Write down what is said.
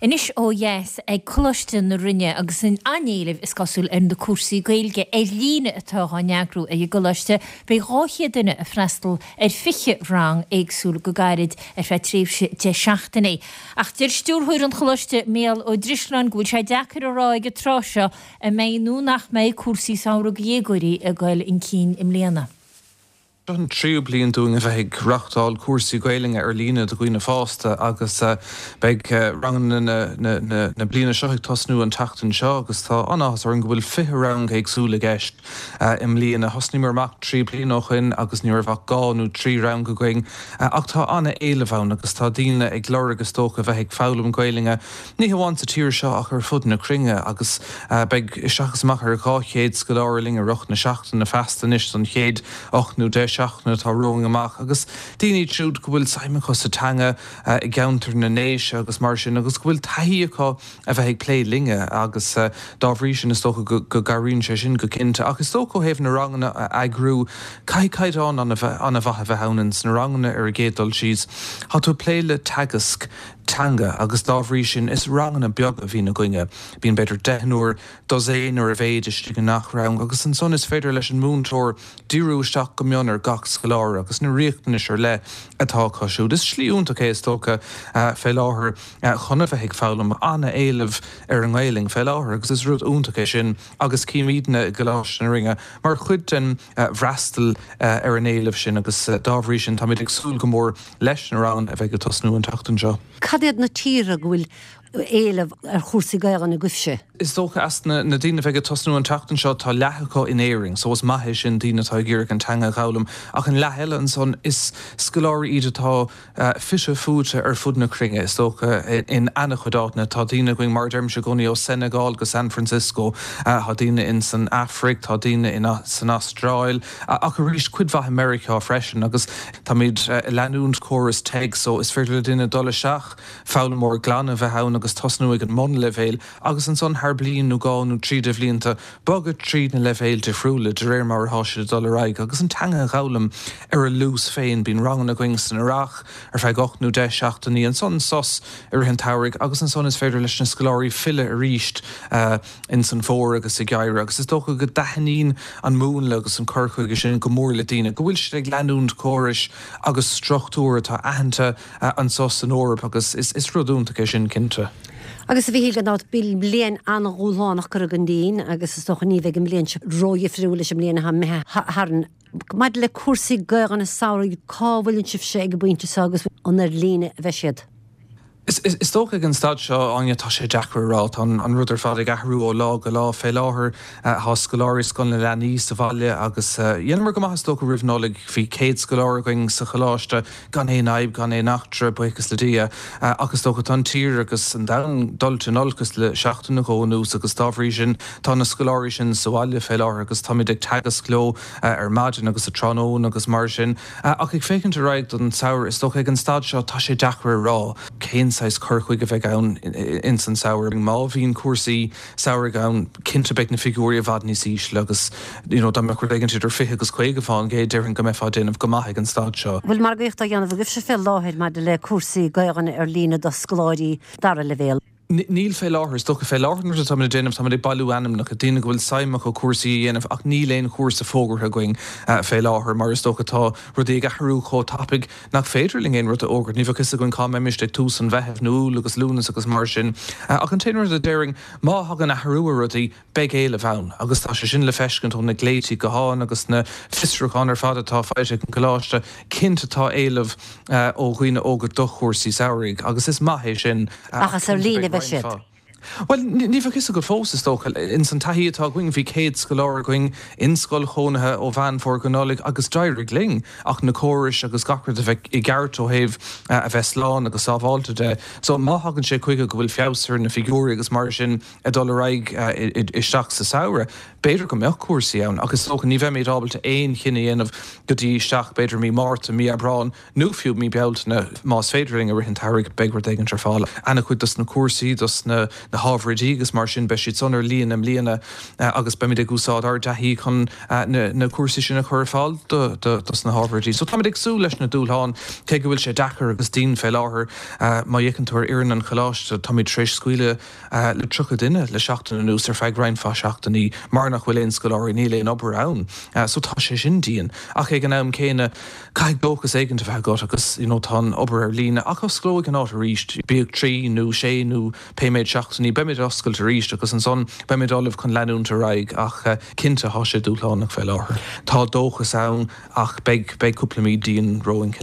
Anois ó dheas ag Coláiste na Rinne agus an-éileamh is cosúil ar na cúrsaí Gaeilge ar líne atá á n-eagrú ag an gcoláiste, beidh 200 duine ag freastal ar 20 rang éagsúil go gairid ar feadh tréimhse 10 seachtainí. Ach deir stiúrthóir an choláiste Mícheál Ó Drisleáin go bhfuil sé deacair a rá ag an tráth seo an mbeidh nó nach mbeidh cúrsaí samhraidh do dhéagóirí ag dul chun cinn i mbliana. Seo an tríú bliain dúinn a bheith ag reáchtáil cúrsaí Gaelainne ar líne do dhaoine fásta agus beidh ranganna na bliana seo ag tosnú an tseachtain seo agus tá an-áthas orainn go bhfuil 20 rang éagsúil i gceist i mbliana. Thosnaíomar amach 3 bliana ó shoin agus ní raibh ach 2 nó 3 rang againn ach tá an-éileamh ann agus tá daoine ag lorg is dócha a bheith ag foghlaim Gaelainne ní hamháin sa tír seo ach ar fud na cruinne agus beidh isteach is amach ar 200 scoláire linn i rith na seachtaine feasta anois don chéad 8 nó 10 seachtaine atá romhainn amach agus daoine iad siúd go bhfuil suim acu sa teanga i gceantar na nDéise agus mar sin agus go bhfuil taithí acu a bheith ag plé linne agus dá bhrí sin is dócha go gcabhraíonn sé sin go cinnte. Ach is dócha ó thaobh na ranganna a eagrú, caithfidh caighdeán an-mhaith a bheith ann ins na ranganna ar an gcéad dul síos. Tá tú ag plé le teagasc teanga agus dá bhrí sin is ranganna beaga a bhíonn againne. Bíonn b'fhéidir deichniúr, dosaen ar a mhéid istigh i ngach rang agus ansan is féidir leis an múinteoir díriú isteach go mion ar gach scoláire agus na riachtanais ar leith atá acu siúd. Is slí iontach é is dócha fé láthair chun a bheith ag foghlaim. Ana-éileamh ar an nGaelainn fé láthair agus is rud iontach é sin agus címidne i gColáiste na Rinne mar chuid den bhfreastal ar an éileamh sin agus dá bhrí sin táimid ag súil go mór leis na ranganna a bheidh ag tosnú an tseachtain seo. Cad iad na tíortha go bhfuil éileamh ar chúrsaí Gaelainne agaibhse? Is dócha as na daoine a bheidh ag tosnú an tseachtain seo tá leath acu in Éirinn so is maith é sin daoine atá ag iarraidh an teanga a dh'fhoghlaim ach an leath eile ansan is scoláirí iad atá fite fuaite ar fud na cruinne is dócha in ana-chuid áiteanna. Tá daoine againn mar a deirimse i gcónaí ó Senegal go San Francisco, tá daoine in san Afraic, tá daoine in san Astráil ach arís cuid mhaith i Meiriceá freisin agus táimid ag leanúint córas TEG so is féidir le duine dul isteach foghlaimeoir glan a bheith ann agus tosnú ag an mbunleibhéal agus ansan thar bliain nó dhá nó trí de bhlianta bogadh tríd na leibhéil difriúla de réir mar atá siad ag dul ar aghaidh agus an teanga a dh'fhoghlaim ar a luas féin. Bíonn ranganna againn san earrach ar feadh 8 nó 10 seachtainí, ansan sos i rith an tsamhraidh agus ansan is féidir leis na scoláirí filleadh arís ins an bhfómhar agus sa gheimhreadh agus is dócha go dtaitníonn an múnla agus an cur chuige sin go mór le daoine, go bhfuil siad ag leanúint córais agus struchtúir atá aitheanta anso san Eoraip agus is rud iontach é sin cinnte. Agus a Mhíchíl, gan dabht, bhí bliain an-dhúshlánach curtha againn dínn agus is dócha ní bheidh an bhliain seo ródhifriúil leis an mbliain atá imithe tharainn. Maidir le cúrsaí Gaelainne samhraidh, cá bhfuileann sibhse ag an bpointe seo agus an ar líne a bheidh siad? Is dócha ag an staid seo, Áine, tá sé deacair a rá. Tá an rud ar fad ag athrú ó lá go lá. Fé láthair tá scoláirí Scoil na Leanaí sa bhaile agus dheineamar go maith is dócha roimh Nollaig. Bhí 100 scoláire againn sa choláiste gan aon fhadhb, gan aon eachtra, buíochas le Dia. Ach is dócha tá an tír agus an domhan dulta in olcas le seachtain nó dhó anuas agus dá bhrí sin tá na scoláirí sin sa bhaile fé láthair agus táimid ag teagasc leo ar maidin agus sa tráthnóna agus mar sin. Ach ag féachaint ar aghaidh don samhradh, is dócha ag an staid seo tá sé deacair a rá cén saghas cur chuige a bheidh ann ins an samhradh. Má bhíonn cúrsaí samhraidh ann, cinnte beidh na figiúirí i bhfad níos ísle agus you know dá mbeadh rud éigin idir 20 agus 50% déarfainn go mbeifeá ag déanamh go maith ag an staid seo. Bhfuil margaíocht á dhéanamh agaibhse fé láthair maidir le cúrsaí Gaelainne ar líne do scoláirí dara leibhéal? Níl fé láthair. Is dócha fé láthair an rud atáimid ag déanamh, táimid ag bailiú ainmneacha, daoine go bhfuil suim acu cúrsaí a dhéanamh ach níl aon chúrsa fógartha againn fé láthair mar is dócha tá rudaí ag athrú chomh tapaidh nach féidir linn aon rud a fhógairt. Ní bheadh fhios againn cá mbeimist ag tús an Mheithimh nó Iúil agus Lúnasa agus mar sin. Ach an t-aon rud a déarfainn, má thagann athrú ar rudaí, Beidh éileamh ann, agus tá sé sin le feiscint ó na glaoití gutháin agus na fiosrúcháin ar fad atá faighte ag an gColáiste. Cinnte tá éileamh ó dhaoine óga do chúrsaí samhraidh, agus is maith é sin, Ach is ar líne a bheidh siad. Bhuel, ní bheadh fhios agat fós, is dócha. Ins an taithí atá againn, bhí 100 scoláire againn in scoil chónaithe ó Mheán Fómhair go Nollaig agus d'éirigh linn ach na córais agus gach rud a bheith i gceart ó thaobh a bheith slán agus sábháilte de. So má thagann sé chuige go bhfuil feabhas ar na figiúirí agus mar sin, ag dul ar aghaidh isteach sa samhradh. B'fhéidir go mbeadh cúrsaí ann ach is dócha ní bheimid ábalta aon chinneadh a dhéanamh go dtí isteach b'fhéidir mí Márta, mí Aibreán nó fiú mí Bealtaine. Más féidir linn i rith an tsamhraidh beidh rud éigin ar fáil. Ana-chuid dos na cúrsaí, dos na. na hábhair oidí agus mar sin, beidh siad san ar líne i mbliana agus beimid ag úsáid ár dtaithí chun na cúrsaí sin a chur ar fáil dos na hábhair oidí. So táimid ag súil leis na dúshláin, cé go bhfuil sé deacair agus dian fé láthair. Má fhéachann tú ar fhoireann an choláiste, táimid tar éis scaoileadh le 30 duine le seachtain anuas ar feadh roinnt mhaith seachtainí mar nach bhfuil aon scoláirí, níl aon obair ann. So tá sé sin dian. Ach ag an am céanna, caithfidh dóchas éigint a bheith agat agus you know tá an obair ar líne ach osclóidh an áit arís, bíodh trí nó sé nó pé méid seachtainí, beimid ag oscailt arís agus ansan beimid ullamh chun leanúint ar aghaidh ach cinnte tá sé dúshlánach fé láthair. Tá dóchas ann ach beidh, beidh cúpla mí dian romhainn.